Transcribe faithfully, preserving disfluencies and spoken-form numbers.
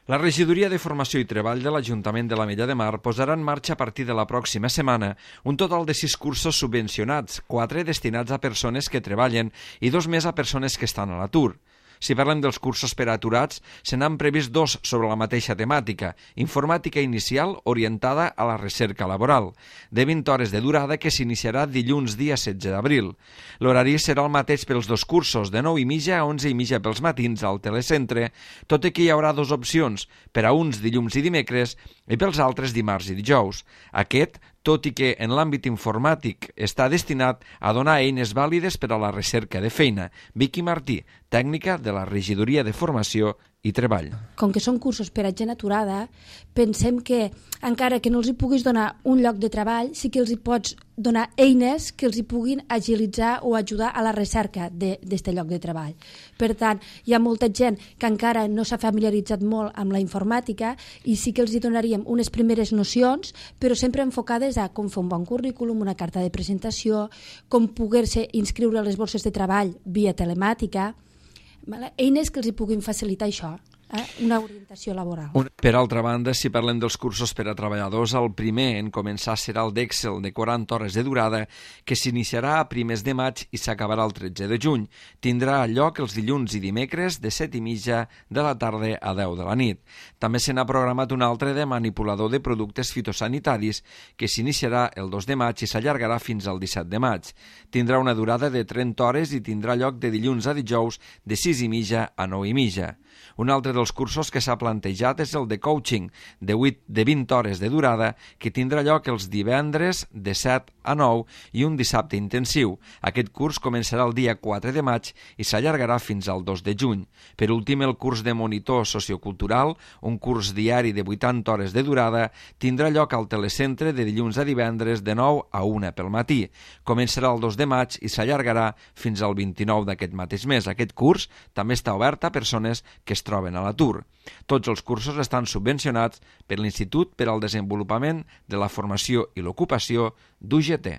La Regidoria de Formació i Treball de l'Ajuntament de l'Ametlla de Mar posarà en marxa a partir de la pròxima setmana un total de sis cursos subvencionats, quatre destinats a persones que treballen i dos més a persones que estan a l'atur. Si parlem dels cursos per a aturats, se n'han previst dos sobre la mateixa temàtica, informàtica inicial orientada a la recerca laboral, de vint hores de durada que s'iniciarà dilluns dia setze d'abril. L'horari serà el mateix pels dos cursos, de nou i mitja a onze i mitja pels matins al telecentre, tot i que hi haurà dues opcions, per a uns dilluns i dimecres i pels altres dimarts i dijous. Aquest, tot i que en l'àmbit informàtic està destinat a donar eines vàlides per a la recerca de feina. Vicky Martí, tècnica de la Regidoria de Formació i Treball. Com que són cursos per a gent aturada, pensem que, encara que no els hi puguis donar un lloc de treball, sí que els hi pots donar eines que els hi puguin agilitzar o ajudar a la recerca d'aquest lloc de treball. Per tant, hi ha molta gent que encara no s'ha familiaritzat molt amb la informàtica i sí que els hi donaríem unes primeres nocions, però sempre enfocades a com fer un bon currículum, una carta de presentació, com poder-se inscriure a les borses de treball via telemàtica, eines que els hi puguin facilitar això, eh? Una orientació laboral. Per altra banda, si parlem dels cursos per a treballadors, el primer en començar serà el d'Excel de quaranta hores de durada, que s'iniciarà a primers de maig i s'acabarà el tretze de juny. Tindrà lloc els dilluns i dimecres de set i mitja de la tarda a deu de la nit. També se n'ha programat un altre de manipulador de productes fitosanitaris, que s'iniciarà el dos de maig i s'allargarà fins al disset de maig. Tindrà una durada de trenta hores i tindrà lloc de dilluns a dijous de sis i mitja a nou i mitja. Un altre dels cursos que s'ha plantejat és el de coaching, de vuit de vint hores de durada, que tindrà lloc els divendres de set a nou i un dissabte intensiu. Aquest curs començarà el dia quatre de maig i s'allargarà fins al dos de juny. Per últim, el curs de monitor sociocultural, un curs diari de vuitanta hores de durada, tindrà lloc al telecentre de dilluns a divendres de nou a una pel matí. Començarà el dos de maig i s'allargarà fins al vint-i-nou d'aquest mateix mes. Aquest curs també està obert a persones que es troben a l'atur. Tots els cursos estan subvencionats per l'Institut per al Desenvolupament de la Formació i l'Ocupació d'U G T.